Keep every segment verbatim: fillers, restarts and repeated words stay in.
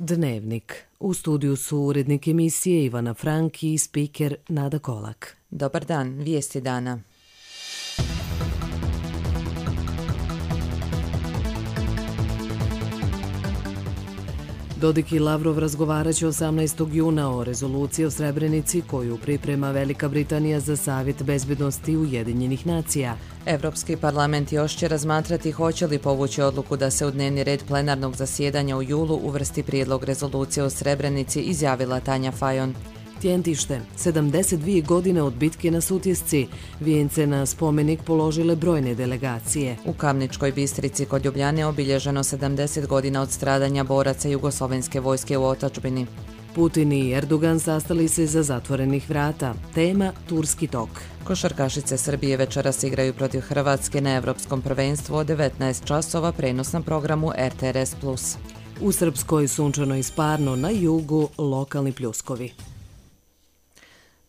Dnevnik. U studiju su urednik emisije Ivana Franki i spiker Nada Kolak. Dobar dan, vijesti dana. Dodik i Lavrov razgovarat će osamnaestog juna o rezoluciji o Srebrenici koju priprema Velika Britanija za Savjet bezbednosti Ujedinjenih nacija. Evropski parlament još će razmatrati hoće li povući odluku da se u dnevni red plenarnog zasjedanja u julu uvrsti prijedlog rezolucije o Srebrenici, izjavila Tanja Fajon. Tjentište. sedamdeset dvije godine od bitke na Sutjesci. Vijence na spomenik položile brojne delegacije. U Kamničkoj Bistrici kod Ljubljane obilježeno sedamdeset godina od stradanja boraca jugoslovenske vojske u otadžbini. Putin i Erdogan sastali se za zatvorenih vrata. Tema Turski tok. Košarkašice Srbije večeras igraju protiv Hrvatske na Evropskom prvenstvu od devetnaest časova, prenos na programu R T R S plus. U Srpskoj sunčano i sparno, na jugu lokalni pljuskovi.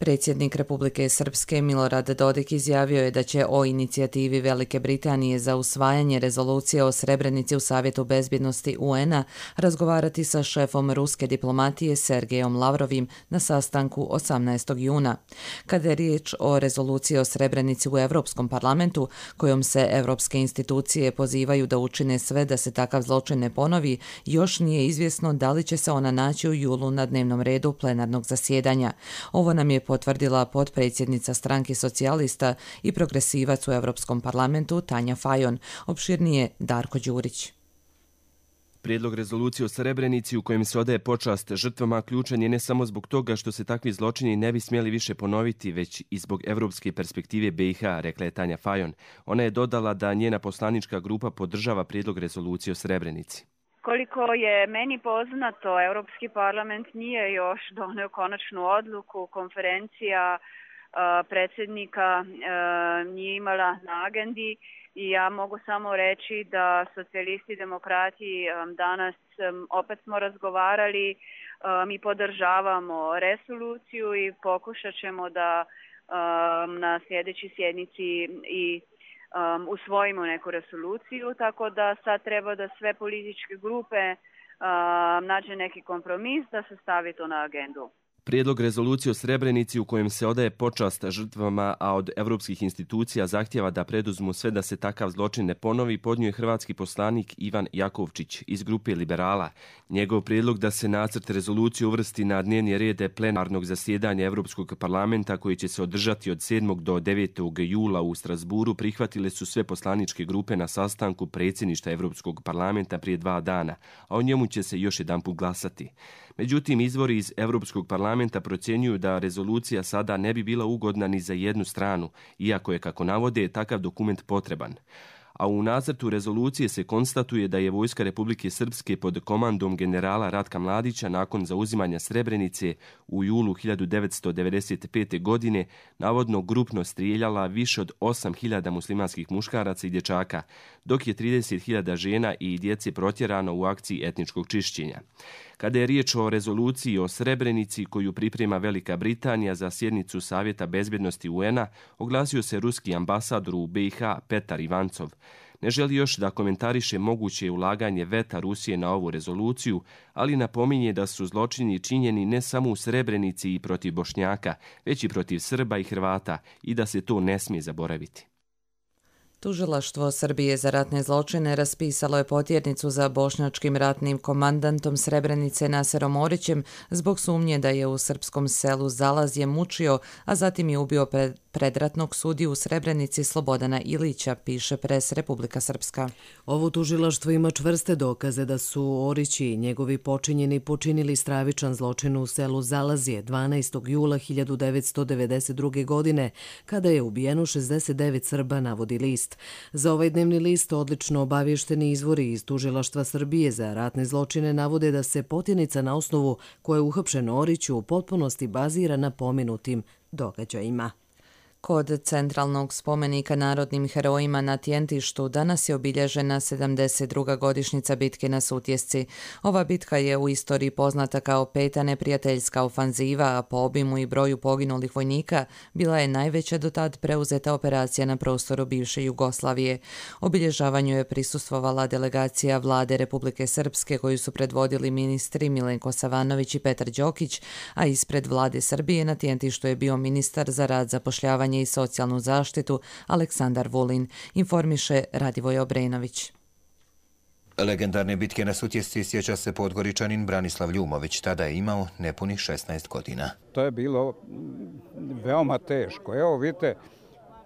Predsjednik Republike Srpske Milorad Dodik izjavio je da će o inicijativi Velike Britanije za usvajanje rezolucije o Srebrenici u Savjetu bezbjednosti U N-a razgovarati sa šefom ruske diplomatije Sergejom Lavrovim na sastanku osamnaestog juna. Kada je riječ o rezoluciji o Srebrenici u Europskom parlamentu, kojom se evropske institucije pozivaju da učine sve da se takav zločin ne ponovi, još nije izvjesno da li će se ona naći u julu na dnevnom redu plenarnog zasjedanja. Ovo nam je potvrdila potpredsjednica stranke socijalista i progresivac u Europskom parlamentu Tanja Fajon. Opširnije Darko Đurić. Prijedlog rezolucije o Srebrenici u kojem se odaje počast žrtvama ključan je ne samo zbog toga što se takvi zločini ne bi smjeli više ponoviti, već i zbog evropske perspektive B i H, rekla je Tanja Fajon. Ona je dodala da njena poslanička grupa podržava prijedlog rezolucije o Srebrenici. Koliko je meni poznato, Europski parlament nije još donio konačnu odluku, konferencija uh, predsjednika uh, nije imala na agendi i ja mogu samo reći da socijalisti i demokrati um, danas um, opet smo razgovarali, um, mi podržavamo rezoluciju i pokušat ćemo da um, na sljedećoj sjednici i Um, usvojimo neku rezoluciju, tako da sad treba da sve političke grupe um, nađe neki kompromis da se stavi to na agendu. Prijedlog rezolucije o Srebrenici u kojem se odaje počast žrtvama, a od evropskih institucija zahtjeva da preduzmu sve da se takav zločin ne ponovi, podnio je hrvatski poslanik Ivan Jakovčić iz grupe Liberala. Njegov prijedlog da se nacrt rezolucije uvrsti na dnevni red plenarnog zasjedanja Evropskog parlamenta koji će se održati od sedmog do devetog jula u Strasburu prihvatile su sve poslaničke grupe na sastanku predsjedništva Evropskog parlamenta prije dva dana, a o njemu će se još jedanput glasati. Međutim, izvori iz Evropskog parlamenta procjenjuju da rezolucija sada ne bi bila ugodna ni za jednu stranu, iako je, kako navode, takav dokument potreban. A u nacrtu rezolucije se konstatuje da je vojska Republike Srpske pod komandom generala Ratka Mladića nakon zauzimanja Srebrenice u julu hiljadu devetsto devedeset pete. godine navodno grupno strijeljala više od osam hiljada muslimanskih muškaraca i dječaka, dok je trideset hiljada žena i djece protjerano u akciji etničkog čišćenja. Kada je riječ o rezoluciji o Srebrenici koju priprema Velika Britanija za sjednicu Savjeta bezbjednosti U N-a, oglasio se ruski ambasador u B i H Petar Ivancov. Ne želi još da komentariše moguće ulaganje veta Rusije na ovu rezoluciju, ali napominje da su zločini činjeni ne samo u Srebrenici i protiv Bošnjaka, već i protiv Srba i Hrvata i da se to ne smije zaboraviti. Tužilaštvo Srbije za ratne zločine raspisalo je potjernicu za bošnjačkim ratnim komandantom Srebrenice Naserom Orićem zbog sumnje da je u srpskom selu Zalazje mučio, a zatim je ubio pred, predratnog sudiju u Srebrenici Slobodana Ilića, piše Pres Republika Srpska. Ovo tužilaštvo ima čvrste dokaze da su Orić i njegovi počinjeni počinili stravičan zločin u selu Zalazje dvanaestog jula hiljadu devetsto devedeset druge. godine, kada je ubijeno šezdeset devet Srba, navodi list. Za ovaj dnevni list odlično obavješteni izvori iz Tužilaštva Srbije za ratne zločine navode da se potjernica na osnovu koje je uhapšen Orić u potpunosti bazira na pomenutim događajima. Kod centralnog spomenika narodnim herojima na Tjentištu danas je obilježena sedamdeset druga godišnjica bitke na Sutjesci. Ova bitka je u istoriji poznata kao peta neprijateljska ofanziva, a po obimu i broju poginulih vojnika bila je najveća do tad preuzeta operacija na prostoru bivše Jugoslavije. Obilježavanju je prisustvovala delegacija Vlade Republike Srpske koju su predvodili ministri Milenko Savanović i Petar Đokić, a ispred Vlade Srbije na Tjentištu je bio ministar za rad, zapošljavanje i socijalnu zaštitu Aleksandar Vulin, informiše Radivoj Obrenović. Legendarne bitke na Sutjesci sjeća se Podgoričanin Branislav Ljumović, tada je imao nepunih šesnaest godina. To je bilo veoma teško. Evo vidite,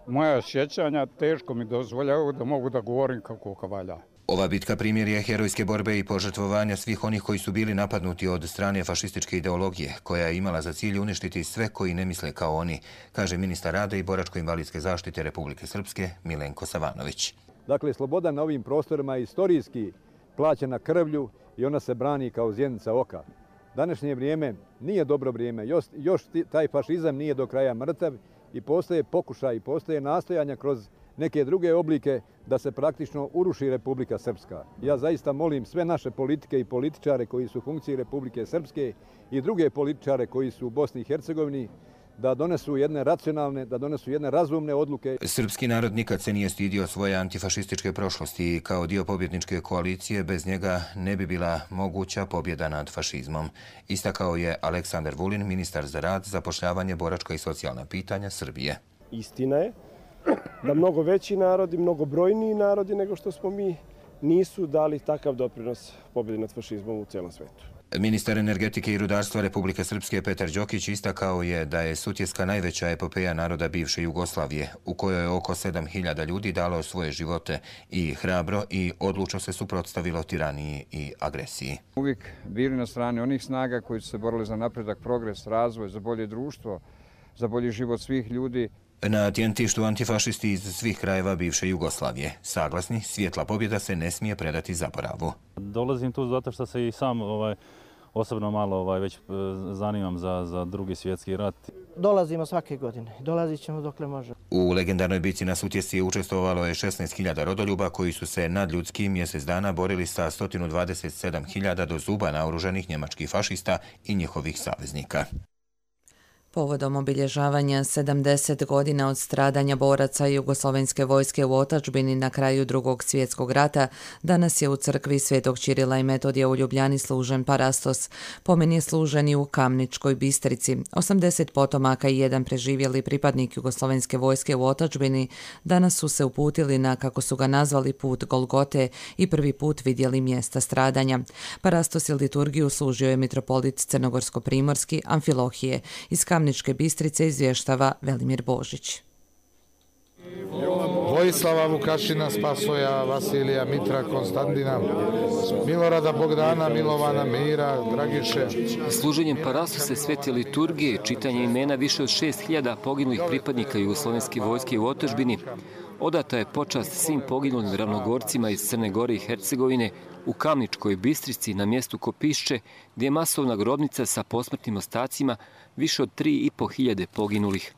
moja sjećanja teško mi dozvoljaju da mogu da govorim kako valja. Ova bitka primjer je herojske borbe i požrtvovanja svih onih koji su bili napadnuti od strane fašističke ideologije, koja je imala za cilj uništiti sve koji ne misle kao oni, kaže ministar rada i boračko-invalidske zaštite Republike Srpske Milenko Savanović. Dakle, sloboda na ovim prostorima je istorijski plaćena krvlju i ona se brani kao zjenica oka. Današnje vrijeme nije dobro vrijeme, još, još taj fašizam nije do kraja mrtav i postoje pokušaj, postoje nastojanja kroz neke druge oblike da se praktično uruši Republika Srpska. Ja zaista molim sve naše politike i političare koji su u funkciji Republike Srpske i druge političare koji su u Bosni i Hercegovini da donesu jedne racionalne, da donesu jedne razumne odluke. Srpski narod nikad se nije stidio svoje antifašističke prošlosti i kao dio pobjedničke koalicije bez njega ne bi bila moguća pobjeda nad fašizmom. Istakao je Aleksandar Vulin, ministar za rad, zapošljavanje, boračka i socijalna pitanja Srbije. Istina je da mnogo veći narodi, mnogo brojniji narodi nego što smo mi, nisu dali takav doprinos pobjedi nad fašizmom u cijelom svetu. Ministar energetike i rudarstva Republike Srpske Petar Đokić istakao je da je Sutjeska najveća epopeja naroda bivše Jugoslavije, u kojoj je oko sedam hiljada ljudi dalo svoje živote i hrabro i odlučno se suprotstavilo tiraniji i agresiji. Uvijek bili na strani onih snaga koji su se borili za napredak, progres, razvoj, za bolje društvo, za bolji život svih ljudi. Na Tjentištu antifašisti iz svih krajeva bivše Jugoslavije. Saglasni, svjetla pobjeda se ne smije predati zaboravu. Dolazim tu zato što se i sam ovaj, osobno malo ovaj, već zanimam za, za drugi svjetski rat. Dolazimo svake godine. Dolazit ćemo dokle može. U legendarnoj bitci na Sutjesci učestvovalo je šesnaest hiljada rodoljuba koji su se nad ljudskim mjesec dana borili sa sto dvadeset sedam hiljada do zuba naoružanih njemačkih fašista i njihovih saveznika. Povodom obilježavanja sedamdeset godina od stradanja boraca Jugoslovenske vojske u otadžbini na kraju Drugog svjetskog rata, danas je u crkvi Svetog Ćirila i Metodija u Ljubljani služen parastos. Pomen je služen i u Kamničkoj Bistrici. osamdeset potomaka i jedan preživjeli pripadnik Jugoslovenske vojske u otadžbini danas su se uputili na, kako su ga nazvali, put Golgote i prvi put vidjeli mjesta stradanja. Parastos i liturgiju služio je mitropolit Crnogorsko-primorski Amfilohije. Iz Kamničke Bistrice izvještava Velimir Božić. Vojislava Vukašina, Spasoja, Vasilija, Mitra, Konstantina, Milorada Bogdana, Milovana, Mira, Dragiše. Služenjem parastose svete liturgije, čitanje imena više od šest hiljada poginulih pripadnika Jugoslovenske vojske u otadžbini, odata je počast svim poginulim ravnogorcima iz Crne Gore i Hercegovine u Kamničkoj Bistrici na mjestu Kopišće, gdje je masovna grobnica sa posmrtnim ostacima više od tri i po hiljade poginulih.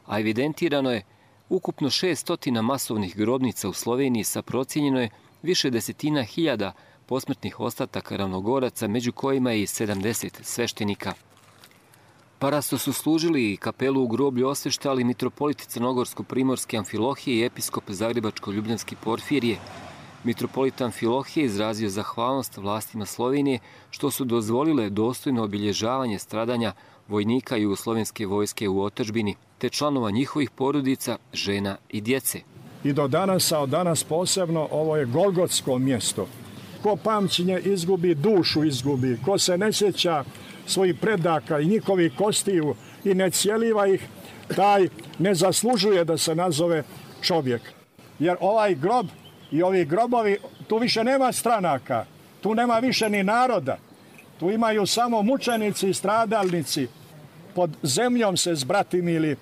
A evidentirano je ukupno šeststotina masovnih grobnica u Sloveniji sa procijenjeno je više desetina hiljada posmrtnih ostataka ravnogoraca, među kojima je i sedamdeset sveštenika. Parastos su služili i kapelu u groblju osveštali mitropolit Crnogorsko-primorske Amfilohije i episkop Zagrebačko-ljubljanski Porfirije. Mitropolit Amfilohije izrazio zahvalnost vlastima Slovenije što su dozvolile dostojno obilježavanje stradanja vojnika Jugoslovenske vojske u otadžbini, te članova njihovih porodica, žena i djece. I do danas, a od danas posebno, ovo je golgotsko mjesto. Ko pamćenje izgubi, dušu izgubi. Ko se ne sjeća svojih predaka i njihovih kostiju i ne cijeliva ih, taj ne zaslužuje da se nazove čovjek. Jer ovaj grob i ovi grobovi, tu više nema stranaka, tu nema više ni naroda. Tu imaju samo mučenici i stradalnici. Pod zemljom se zbratimili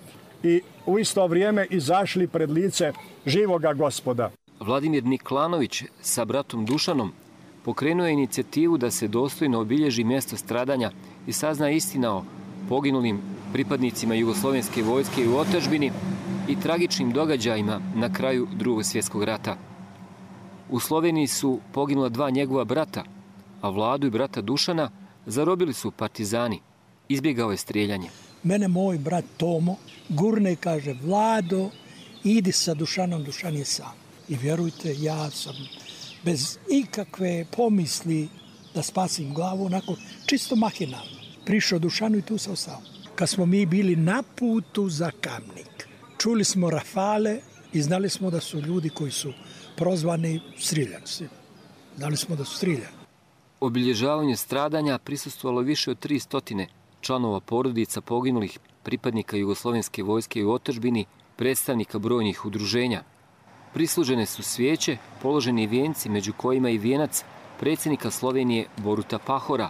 i u isto vrijeme izašli pred lice živoga Gospoda. Vladimir Niklanović sa bratom Dušanom pokrenuo je inicijativu da se dostojno obilježi mjesto stradanja i sazna istina o poginulim pripadnicima Jugoslovenske vojske u otadžbini, i tragičnim događajima na kraju Drugog svjetskog rata. U Sloveniji su poginula dva njegova brata, a Vladu i brata Dušana zarobili su partizani. Izbjegao je strijeljanje. Mene moj brat Tomo gurne i kaže: Vlado, idi sa Dušanom, Dušan je sam. I vjerujte, ja sam bez ikakve pomisli da spasim glavu, onako čisto mahinalno. Prišao Dušanu i tu sam sam. Kad smo mi bili na putu za Kamnik, čuli smo rafale i znali smo da su ljudi koji su prozvani strijeljani. Znali smo da su strijeljani. Obilježavanju stradanja prisustvovalo više od tri stotine članova porodica poginulih pripadnika Jugoslovenske vojske u otadžbini, predstavnika brojnih udruženja. Prislužene su svijeće, položeni vijenci, među kojima i vijenac predsjednika Slovenije Boruta Pahora.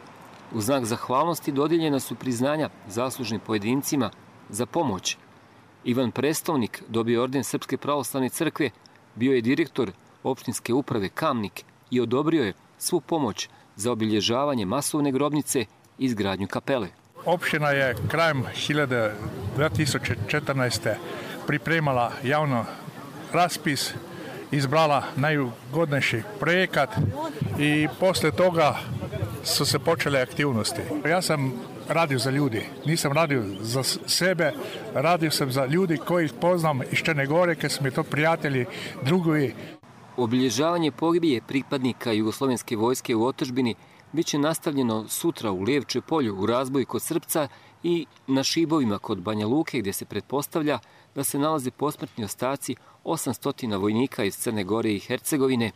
U znak zahvalnosti dodijeljena su priznanja zaslužnim pojedincima za pomoć. Ivan Prestovnik dobio orden Srpske pravoslavne crkve, bio je direktor opštinske uprave Kamnik i odobrio je svu pomoć za obilježavanje masovne grobnice i izgradnju kapele. Opština je krajem dve tisuće četrnaeste. pripremala javno raspis, izbrala najugodnejši projekat i posle toga su se počele aktivnosti. Ja sam radio za ljudi, nisam radio za sebe, radio sam za ljudi koji poznam iz Črne Gore, kad su mi to prijatelji, drugovi. Obilježavanje pogibije pripadnika Jugoslovenske vojske u otadžbini bit će nastavljeno sutra u Lijevče polju u Razboju kod Srpca i na Šibovima kod Banja Luke, gdje se pretpostavlja da se nalaze posmrtni ostaci osamsto vojnika iz Crne Gore i Hercegovine,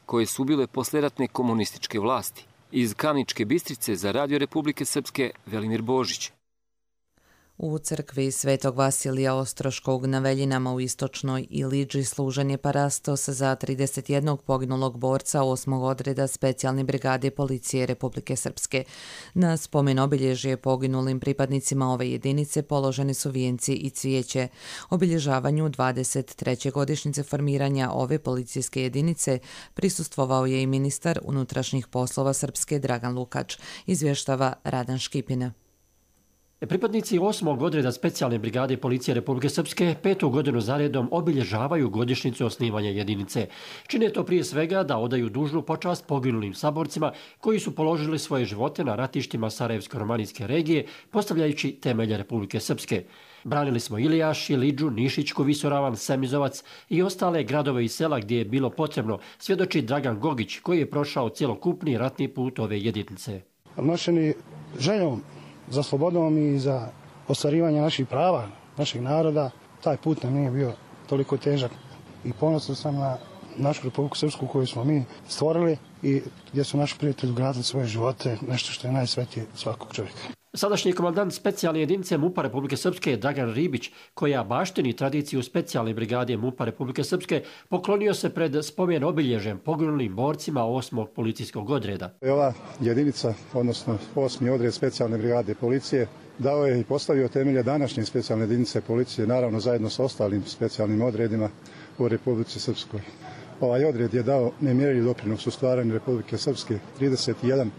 koje su bile posleratne komunističke vlasti. Iz Kamničke Bistrice za Radio Republike Srpske, Velimir Božić. U crkvi Svetog Vasilija Ostroškog na Veljinama u Istočnoj Iliđi služen je parastos za trideset jednog poginulog borca osmog odreda specijalne brigade policije Republike Srpske. Na spomen obilježje poginulim pripadnicima ove jedinice položeni su vijenci i cvijeće. Obilježavanju dvadeset treće godišnjice formiranja ove policijske jedinice prisustvovao je i ministar unutrašnjih poslova Srpske Dragan Lukač, izvještava Radan Škipina. Pripadnici osmog odreda specijalne brigade policije Republike Srpske petu godinu zaredom obilježavaju godišnjicu osnivanja jedinice. Čine to prije svega da odaju dužnu počast poginulim saborcima koji su položili svoje živote na ratištima Sarajevsko-romanijske regije, postavljajući temelje Republike Srpske. Branili smo Ilijaš, Iliđu, Nišićku, Visoravan, Semizovac i ostale gradove i sela gdje je bilo potrebno, svjedoči Dragan Gogić, koji je prošao cjelokupni ratni put ove jedinice. Nošeni željom za slobodom i za ostvarivanje naših prava, našeg naroda, taj put nam nije bio toliko težak. I ponosan sam na našu Republiku Srpsku koju smo mi stvorili i gdje su naši prijatelji gradili svoje živote, nešto što je najsvetije svakog čovjeka. Sadašnji komandant specijalne jedinice MUP-a Republike Srpske Dragan Ribić, koja baštini tradiciju specijalne brigade MUP-a Republike Srpske, poklonio se pred spomen obilježjem poginulim borcima osmog policijskog odreda. Ova jedinica, odnosno osmi odred specijalne brigade policije, dao je i postavio temelje današnje specijalne jedinice policije, naravno zajedno sa ostalim specijalnim odredima u Republici Srpskoj. Ovaj odred je dao nemjerljiv doprinos u stvaranju Republike Srpske. trideset jedan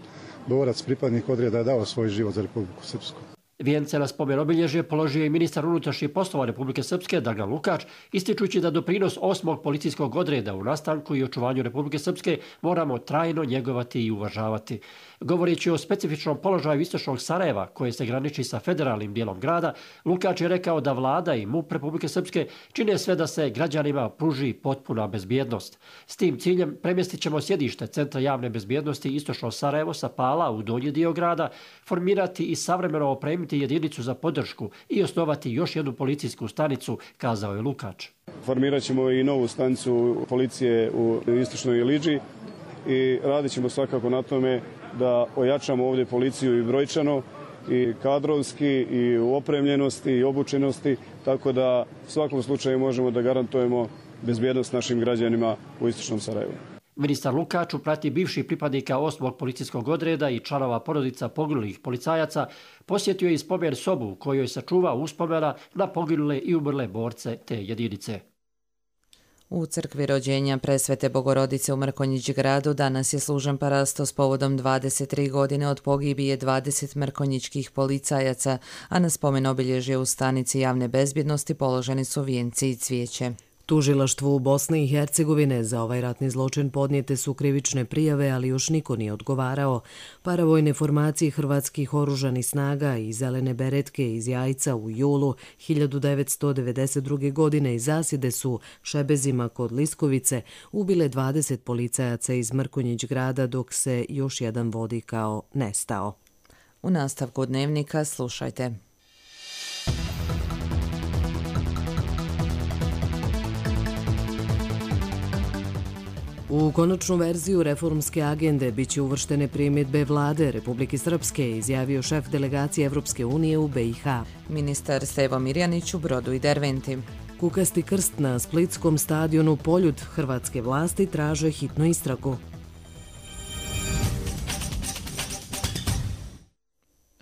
borac, pripadnik odreda, je dao svoj život za Republiku Srpsku. Vijence na spomen obilježje položio i ministar unutrašnjih poslova Republike Srpske Dragan Lukač, ističući da doprinos osmog policijskog odreda u nastanku i očuvanju Republike Srpske moramo trajno njegovati i uvažavati. Govoreći o specifičnom položaju istočnog Sarajeva, koje se graniči sa federalnim dijelom grada, Lukač je rekao da vlada i MUP Republike Srpske čine sve da se građanima pruži potpuna bezbjednost. S tim ciljem premjestit ćemo sjedište Centra javne bezbjednosti istočno Sarajevo sa Pala u donji dio grada, formirati i savremeno opremiti jedinicu za podršku i osnovati još jednu policijsku stanicu, kazao je Lukač. Formirat ćemo i novu stanicu policije u istočnoj Iliđi i radit ćemo svakako na tome da ojačamo ovdje policiju i brojčano i kadrovski i u opremljenosti i obučenosti, tako da u svakom slučaju možemo da garantujemo bezbjednost našim građanima u istočnom Sarajevu. Ministar Lukač u pratnji bivših pripadnika osmog policijskog odreda i članova porodica poginulih policajaca posjetio je i spomen sobu u kojoj sačuva uspomena na poginule i umrle borce te jedinice. U crkvi rođenja Presvete Bogorodice u Mrkonjić gradu danas je služen parastos povodom dvadeset tri godine od pogibije dvadeset mrkonjićkih policajaca, a na spomen obilježje u stanici javne bezbjednosti položeni su vijenci i cvijeće. Tužilaštvu Bosne i Hercegovine za ovaj ratni zločin podnijete su krivične prijave, ali još niko nije odgovarao. Paravojne formacije hrvatskih oružanih snaga i zelene beretke iz Jajca u julu hiljadu devetsto devedeset druge. godine iz zasjede su Šebezima kod Liskovice ubile dvadeset policajaca iz Mrkonjić grada, dok se još jedan vodi kao nestao. U nastavku dnevnika slušajte. U konačnu verziju reformske agende biće uvrštene primjedbe vlade Republike Srpske, izjavio šef delegacije Evropske unije u be i ha. Ministar Stevo Mirjanić u Brodu i Derventi. Kukasti krst na splitskom stadionu Poljud hrvatske vlasti traže hitnu istragu.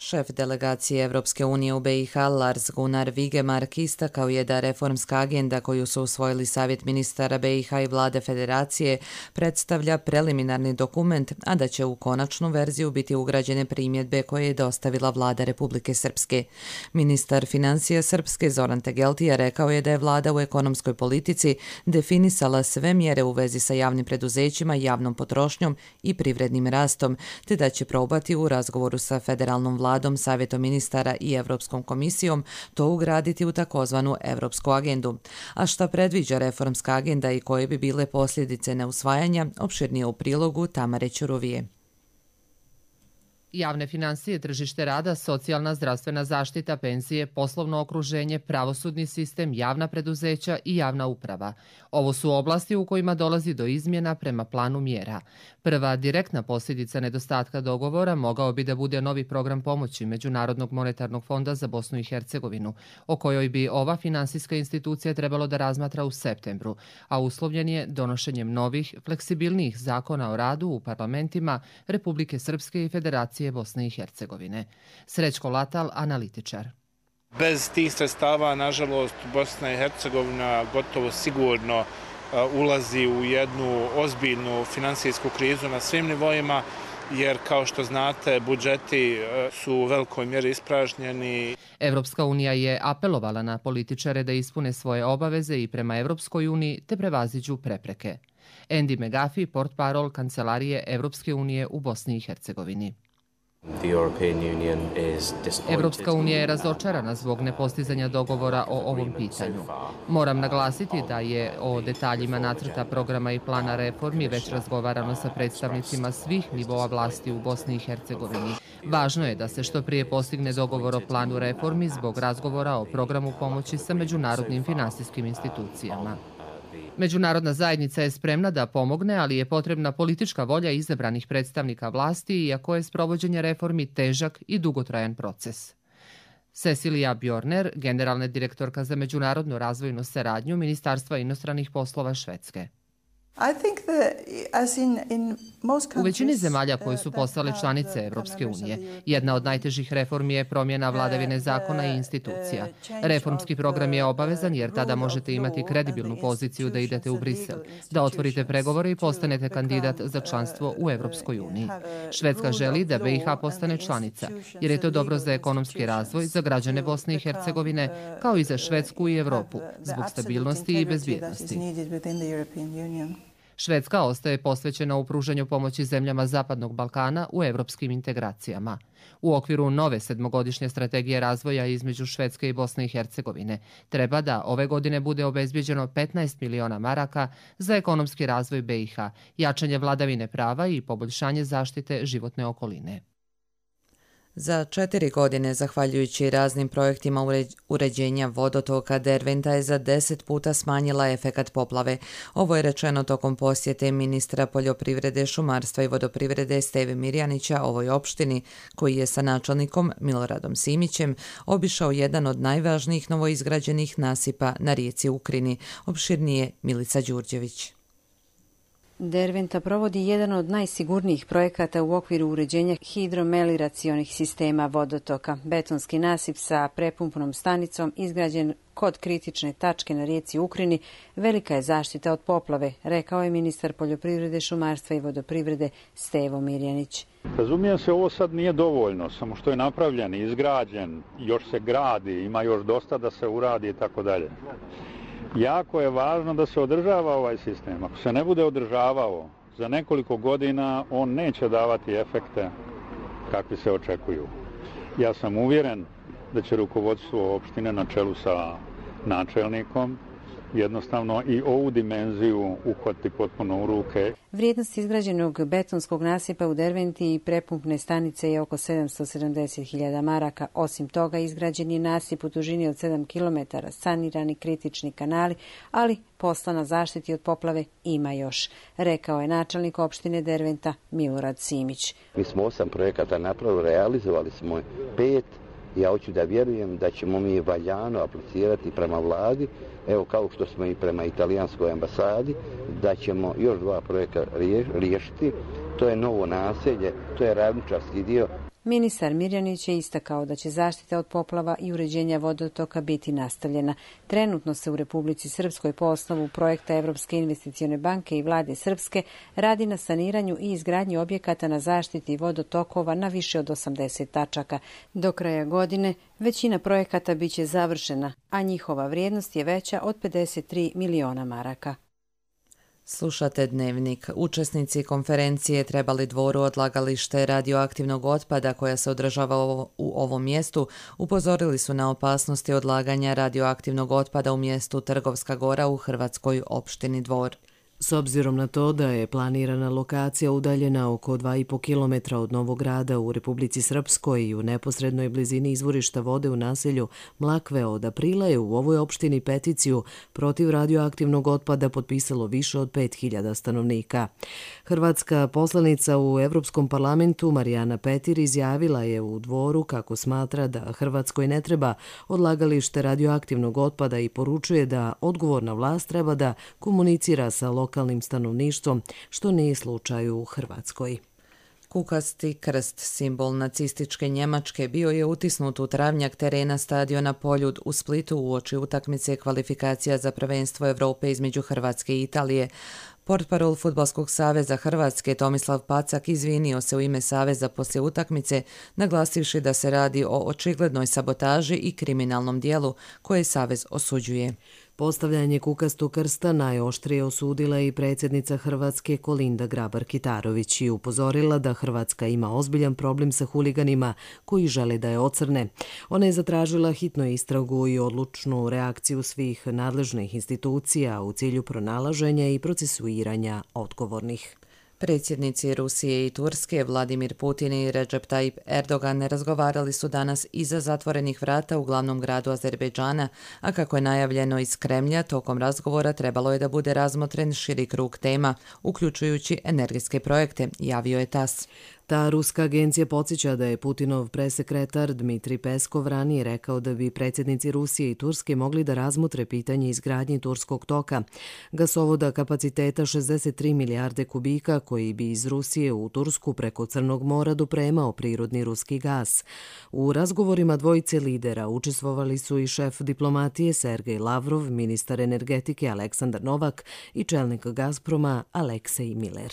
Šef delegacije Evropske unije u be i ha Lars Gunnar Vigemark istakao je da reformska agenda koju su usvojili Savjet ministara be i ha i vlade federacije predstavlja preliminarni dokument, a da će u konačnu verziju biti ugrađene primjedbe koje je dostavila vlada Republike Srpske. Ministar financija Srpske Zoran Tegeltija rekao je da je vlada u ekonomskoj politici definisala sve mjere u vezi sa javnim preduzećima, javnom potrošnjom i privrednim rastom, te da će probati u razgovoru sa federalnom vladom, Savjetom ministara i Evropskom komisijom to ugraditi u takozvanu Evropsku agendu. A šta predviđa reformska agenda i koje bi bile posljedice neusvajanja, opširnije u prilogu Tamare Ćuruvije. Javne finansije, tržište rada, socijalna zdravstvena zaštita, penzije, poslovno okruženje, pravosudni sistem, javna preduzeća i javna uprava. Ovo su oblasti u kojima dolazi do izmjena prema planu mjera. Prva direktna posljedica nedostatka dogovora mogao bi da bude novi program pomoći Međunarodnog monetarnog fonda za Bosnu i Hercegovinu, o kojoj bi ova finansijska institucija trebalo da razmatra u septembru, a uslovljen je donošenjem novih, fleksibilnijih zakona o radu u parlamentima Republike Srpske i Federacije Bosne i Hercegovine. Srećko Latal, analitičar. Bez tih sredstava, nažalost, Bosna i Hercegovina gotovo sigurno ulazi u jednu ozbiljnu finansijsku krizu na svim nivoima, jer kao što znate, budžeti su u velikoj mjeri ispražnjeni. Evropska unija je apelovala na političare da ispune svoje obaveze i prema Evropskoj uniji te prevaziđu prepreke. Andy McGuffey, portparol Kancelarije Evropske unije u Bosni i Hercegovini. Evropska unija je razočarana zbog nepostizanja dogovora o ovom pitanju. Moram naglasiti da je o detaljima nacrta programa i plana reformi već razgovarano sa predstavnicima svih nivoa vlasti u Bosni i Hercegovini. Važno je da se što prije postigne dogovor o planu reformi zbog razgovora o programu pomoći sa međunarodnim finansijskim institucijama. Međunarodna zajednica je spremna da pomogne, ali je potrebna politička volja izabranih predstavnika vlasti, iako je sprovođenje reformi težak i dugotrajan proces. Cecilia Bjorner, generalna direktorka za međunarodnu razvojnu saradnju Ministarstva inostranih poslova Švedske. U većini zemalja koje su postale članice Evropske unije, jedna od najtežih reformi je promjena vladavine zakona i institucija. Reformski program je obavezan jer tada možete imati kredibilnu poziciju da idete u Brisel, da otvorite pregovore i postanete kandidat za članstvo u Evropskoj uniji. Švedska želi da be i ha postane članica, jer je to dobro za ekonomski razvoj, za građane Bosne i Hercegovine, kao i za Švedsku i Evropu, zbog stabilnosti i bezbjednosti. Švedska ostaje posvećena u pružanju pomoći zemljama Zapadnog Balkana u evropskim integracijama. U okviru nove sedmogodišnje strategije razvoja između Švedske i Bosne i Hercegovine treba da ove godine bude obezbjeđeno petnaest miliona maraka za ekonomski razvoj be i ha, jačanje vladavine prava i poboljšanje zaštite životne okoline. Za četiri godine, zahvaljujući raznim projektima uređenja vodotoka, Derventa je za deset puta smanjila efekat poplave. Ovo je rečeno tokom posjete ministra poljoprivrede, šumarstva i vodoprivrede Steve Mirjanića ovoj opštini, koji je sa načelnikom Miloradom Simićem obišao jedan od najvažnijih novoizgrađenih nasipa na rijeci Ukrini, opširnije Milica Đurđević. Derventa provodi jedan od najsigurnijih projekata u okviru uređenja hidromelioracionih sistema vodotoka. Betonski nasip sa prepumpnom stanicom izgrađen kod kritične tačke na rijeci Ukrini velika je zaštita od poplave, rekao je ministar poljoprivrede, šumarstva i vodoprivrede Stevo Mirjanić. Razumijem se, ovo sad nije dovoljno, samo što je napravljen, izgrađen, još se gradi, ima još dosta da se uradi i tako dalje. Jako je važno da se održava ovaj sistem. Ako se ne bude održavao, za nekoliko godina on neće davati efekte kakvi se očekuju. Ja sam uvjeren da će rukovodstvo opštine na čelu sa načelnikom jednostavno i ovu dimenziju uhvati potpuno u ruke. Vrijednost izgrađenog betonskog nasipa u Derventi i prepumpne stanice je oko sedamsto sedamdeset hiljada maraka. Osim toga, izgrađen je nasip u dužini od sedam kilometara, sanirani kritični kanali, ali posla na zaštiti od poplave ima još, rekao je načelnik opštine Derventa Milorad Simić. Mi smo osam projekata napravili, realizovali smo pet. Ja hoću da vjerujem da ćemo mi valjano aplicirati prema vladi, evo kao što smo i prema italijanskoj ambasadi, da ćemo još dva projekta riješiti. To je novo naselje, to je ravničarski dio. Ministar Mirjanić je istakao da će zaštita od poplava i uređenja vodotoka biti nastavljena. Trenutno se u Republici Srpskoj po osnovu projekta Evropske investicione banke i vlade Srpske radi na saniranju i izgradnji objekata na zaštiti vodotokova na više od osamdeset tačaka. Do kraja godine većina projekata biće završena, a njihova vrijednost je veća od pedeset tri miliona maraka. Slušate Dnevnik. Učesnici konferencije Trebali Dvoru odlagalište radioaktivnog otpada koja se održava u ovom mjestu upozorili su na opasnosti odlaganja radioaktivnog otpada u mjestu Trgovska Gora u hrvatskoj opštini Dvor. S obzirom na to da je planirana lokacija udaljena oko dva i po kilometra od Novog Grada u Republici Srpskoj i u neposrednoj blizini izvorišta vode u naselju Mlakve, od aprila je u ovoj opštini peticiju protiv radioaktivnog otpada potpisalo više od pet hiljada stanovnika. Hrvatska poslanica u Evropskom parlamentu Marijana Petir izjavila je u Dvoru kako smatra da Hrvatskoj ne treba odlagalište radioaktivnog otpada i poručuje da odgovorna vlast treba da komunicira sa lokalnim lokalnim stanovništvom, što nije slučaj u Hrvatskoj. Kukasti krst, simbol nacističke Njemačke, bio je utisnut u travnjak terena stadiona Poljud u Splitu uoči utakmice kvalifikacija za prvenstvo Evrope između Hrvatske i Italije. Portparol Fudbalskog saveza Hrvatske Tomislav Pacak izvinio se u ime saveza poslije utakmice, naglasivši da se radi o očiglednoj sabotaži i kriminalnom dijelu koje savez osuđuje. Postavljanje kukastog krsta najoštrije osudila i predsjednica Hrvatske Kolinda Grabar-Kitarović i upozorila da Hrvatska ima ozbiljan problem sa huliganima koji žele da je ocrne. Ona je zatražila hitnu istragu i odlučnu reakciju svih nadležnih institucija u cilju pronalaženja i procesuiranja odgovornih. Predsjednici Rusije i Turske Vladimir Putin i Recep Tayyip Erdogan razgovarali su danas iza zatvorenih vrata u glavnom gradu Azerbejdžana, a kako je najavljeno iz Kremlja, tokom razgovora trebalo je da bude razmotren širi krug tema, uključujući energetske projekte, javio je tas. Ta ruska agencija podsjeća da je Putinov presekretar Dmitri Peskov ranije rekao da bi predsjednici Rusije i Turske mogli da razmotre pitanje izgradnje Turskog toka, gasovoda kapaciteta šezdeset tri milijarde kubika koji bi iz Rusije u Tursku preko Crnog mora dopremao prirodni ruski gas. U razgovorima dvojice lidera učestvovali su i šef diplomatije Sergej Lavrov, ministar energetike Aleksandar Novak i čelnik Gazproma Aleksej Miller.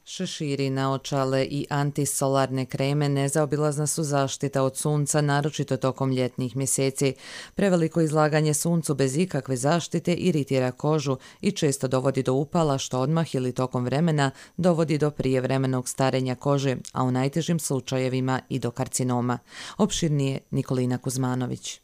Šeširi, naočale i antisolarne kreme nezaobilazna su zaštita od sunca, naročito tokom ljetnih mjeseci. Preveliko izlaganje suncu bez ikakve zaštite iritira kožu i često dovodi do upala, što odmah ili tokom vremena dovodi do prijevremenog starenja kože, a u najtežim slučajevima i do karcinoma. Opširnije Nikolina Kuzmanović.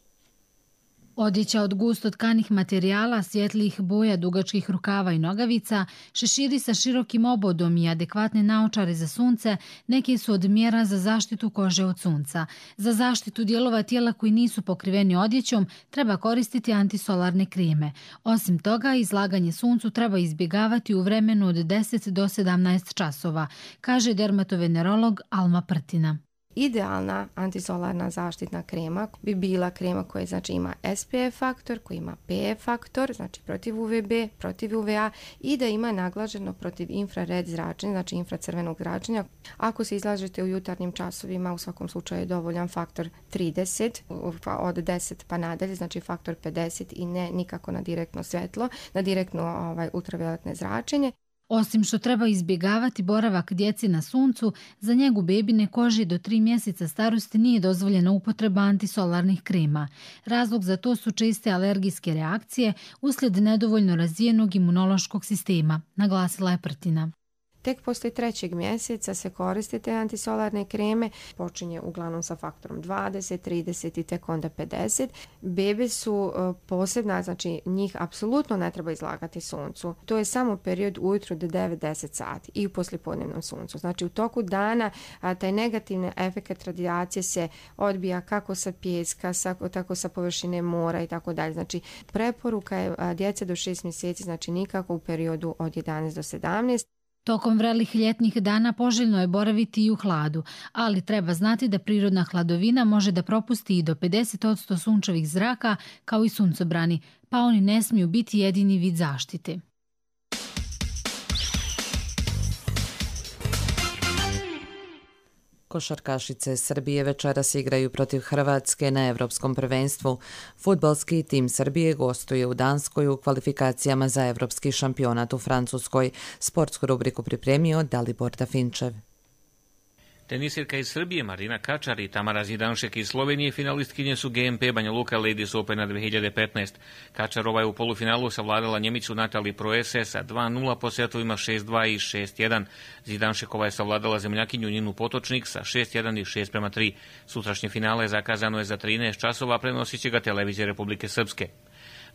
Odjeća od gusto tkanih materijala, svjetlijih boja, dugačkih rukava i nogavica, šeširi sa širokim obodom i adekvatne naočare za sunce neki su od mjera za zaštitu kože od sunca. Za zaštitu dijelova tijela koji nisu pokriveni odjećom treba koristiti antisolarne kreme. Osim toga, izlaganje suncu treba izbjegavati u vremenu od deset do sedamnaest časova, kaže dermatovenerolog Alma Prtina. Idealna antisolarna zaštitna krema bi bila krema koja znači ima S P F faktor, koja ima P E faktor, znači protiv U V B, protiv U V A i da ima naglaženo protiv infrared zračenja, znači infracrvenog zračenja. Ako se izlažete u jutarnjim časovima, u svakom slučaju je dovoljan faktor trideset, od deset pa nadalje, znači faktor pedeset i ne nikako na direktno svjetlo, na direktno ovaj, ultravioletne zračenje. Osim što treba izbjegavati boravak djeci na suncu, za njegu bebine koži do tri mjeseca starosti nije dozvoljena upotreba antisolarnih krema. Razlog za to su česte alergijske reakcije uslijed nedovoljno razvijenog imunološkog sistema, naglasila je Prtina. Tek poslije trećeg mjeseca se koriste te antisolarne kreme, počinje uglavnom sa faktorom dvadeset, trideset i tek onda pedeset. Bebe su posebna, znači njih apsolutno ne treba izlagati suncu. To je samo period ujutro do devet do deset sati i u poslijepodnevnom suncu. Znači u toku dana a, taj negativni efekt radijacije se odbija kako sa pijeska, sa, tako sa površine mora i tako dalje. Znači preporuka je a, djece do šest mjeseci, znači nikako u periodu od jedanaest do sedamnaest. Tokom vrelih ljetnih dana poželjno je boraviti i u hladu, ali treba znati da prirodna hladovina može da propusti i do pedeset posto sunčevih zraka kao i suncobrani, pa oni ne smiju biti jedini vid zaštite. Košarkašice Srbije večeras igraju protiv Hrvatske na Evropskom prvenstvu. Fudbalski tim Srbije gostuje u Danskoj u kvalifikacijama za Evropski šampionat u Francuskoj. Sportsku rubriku pripremio Dalibor Dafinčev. Tenisirka iz Srbije Marina Kačar i Tamara Zidanšek iz Slovenije finalistkinje su G M P Banja Luka Ladies Opena dve hiljade petnaest. Kačarova je u polufinalu savladala Njemicu Natali Proese sa dva nula po setovima šest dva i šest jedan. Zidanšekova je savladala zemljakinju Ninu Potočnik sa šest jedan i šest prema tri. Sutrašnje finale zakazano je za trinaest časova, prenosit će ga televizija Republike Srpske.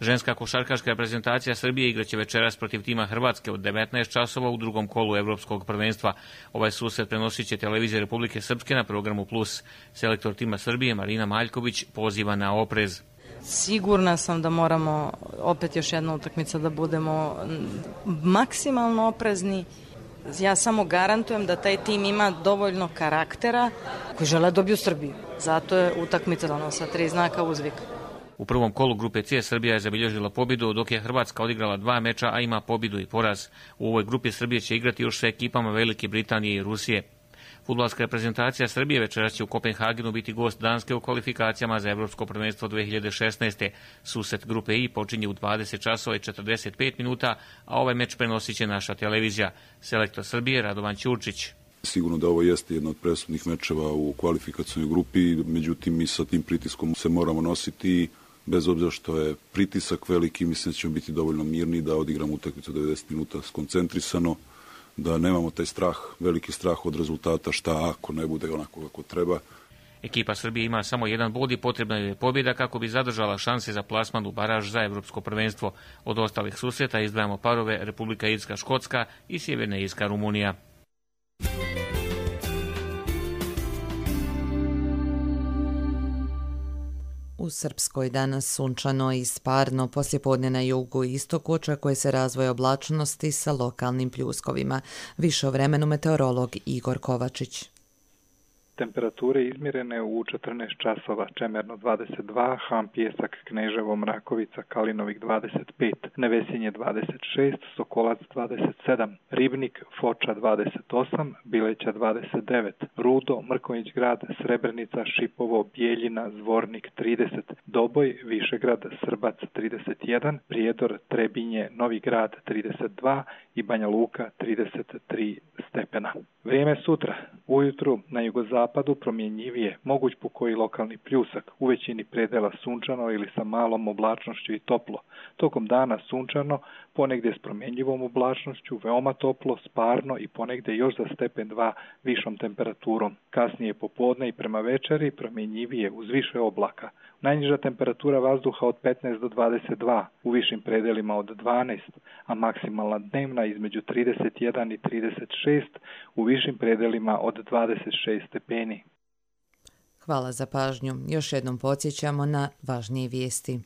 Ženska košarkaška reprezentacija Srbije igraće večeras protiv tima Hrvatske od devetnaest časova u drugom kolu Evropskog prvenstva. Ovaj susret prenosit će televizija Republike Srpske na programu Plus. Selektor tima Srbije Marina Maljković poziva na oprez. Sigurna sam da moramo opet još jedna utakmica da budemo maksimalno oprezni. Ja samo garantujem da taj tim ima dovoljno karaktera koji žele dobiju Srbiju. Zato je utakmica danas sa tri znaka uzvika. U prvom kolu grupe C Srbija je zabilježila pobjedu, dok je Hrvatska odigrala dva meča, a ima pobjedu i poraz. U ovoj grupi Srbije će igrati još sa ekipama Velike Britanije i Rusije. Fudbalska reprezentacija Srbije večeras će u Kopenhagenu biti gost Danske u kvalifikacijama za Evropsko prvenstvo dve hiljade šesnaeste. Susret grupe I počinje u dvadeset časova i četrdeset pet minuta, a ovaj meč prenosit će naša televizija. Selektor Srbije Radovan Ćurčić. Sigurno da ovo jeste jedna od presudnih mečeva u kvalifikacionoj grupi, međutim mi sa tim pritiskom se moramo nositi. Bez obzira što je pritisak veliki, mislim da ćemo biti dovoljno mirni da odigramo utakmicu devedeset minuta skoncentrisano, da nemamo taj strah, veliki strah od rezultata, šta ako ne bude onako kako treba. Ekipa Srbije ima samo jedan bod i potrebna je pobjeda kako bi zadržala šanse za plasman u baraž za Evropsko prvenstvo. Od ostalih susreta izdvajamo parove Republika Irska Škotska i Sjeverna Irska Rumunija. U Srpskoj danas sunčano i sparno, poslijepodne na jugu i istoku očekuje se razvoj oblačnosti sa lokalnim pljuskovima. Više o vremenu meteorolog Igor Kovačić. Temperature izmjerene u četrnaest časova, Čemerno dvadeset dva, Han Pijesak, Kneževo, Mrakovica, Kalinovik dvadeset pet, Nevesinje dvadeset šest, Sokolac dvadeset sedam, Ribnik, Foča dvadeset osam, Bileća dvadeset devet, Rudo, Mrkonjić grad, Srebrenica, Šipovo, Bijeljina, Zvornik trideset, Doboj, Višegrad, Srbac trideset jedan, Prijedor, Trebinje, Novi grad trideset dva i Banja Luka trideset tri stepena. Vrijeme sutra, ujutru na jugozapadu promjenjivije, moguć pokoji lokalni pljusak, u većini predela sunčano ili sa malom oblačnošću i toplo. Tokom dana sunčano, ponegdje s promjenjivom oblačnošću, veoma toplo, sparno i ponegdje još za stepen dva višom temperaturom. Kasnije popodne i prema večeri promjenjivije uz više oblaka. Najniža temperatura vazduha od petnaest do dvadeset dva, u višim predelima od dvanaest, a maksimalna dnevna između trideset jedan i trideset šest, u višim predelima od dvadeset šest stepeni. Hvala za pažnju. Još jednom podsjećamo na važnije vijesti.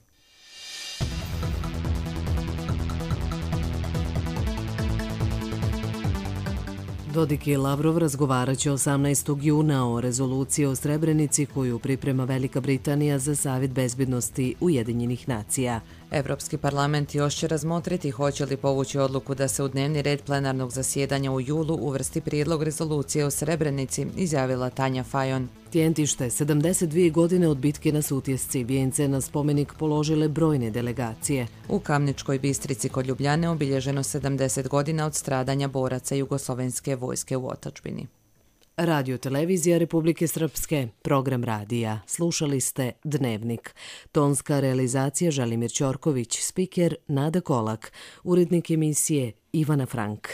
Dodik i Lavrov razgovarat će osamnaestog juna o rezoluciji o Srebrenici koju priprema Velika Britanija za Savjet bezbednosti Ujedinjenih nacija. Evropski parlament još će razmotriti hoće li povući odluku da se u dnevni red plenarnog zasjedanja u julu uvrsti prijedlog rezolucije o Srebrenici, izjavila Tanja Fajon. Tijentište, sedamdeset dvije godine od bitke na Sutjesci, vijence na spomenik položile brojne delegacije. U Kamničkoj Bistrici kod Ljubljane obilježeno sedamdeset godina od stradanja boraca Jugoslovenske vojske u otadžbini. Radio Televizija Republike Srpske, program radija. Slušali ste Dnevnik. Tonska realizacija Želimir Ćorković, spiker Nada Kolak, urednik emisije Ivana Frank.